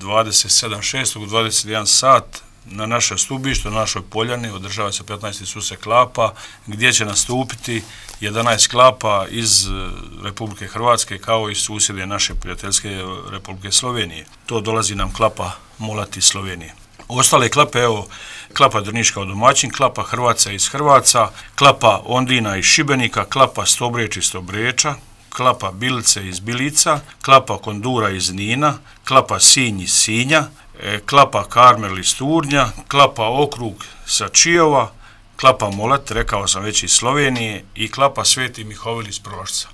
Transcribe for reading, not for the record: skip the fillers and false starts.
27.6. u 21 sat na naše stubište, na našoj poljani, održava se 15. susret klapa, gdje će nastupiti 11 klapa iz Republike Hrvatske kao i susjedne naše prijateljske Republike Slovenije. To dolazi nam klapa Molat iz Slovenije. Ostale klape, evo, klapa Drniška od domaćin, klapa Hrvaca iz Hrvaca, klapa Ondina iz Šibenika, klapa Stobreč iz Stobreča, klapa Bilice iz Bilica, klapa Kondura iz Nina, klapa Sinj iz Sinja, klapa Karmel iz Turnja, klapa Okrug sa Čijova, klapa Molat, rekao sam već iz Slovenije, i klapa Sveti Mihovil iz Prološca.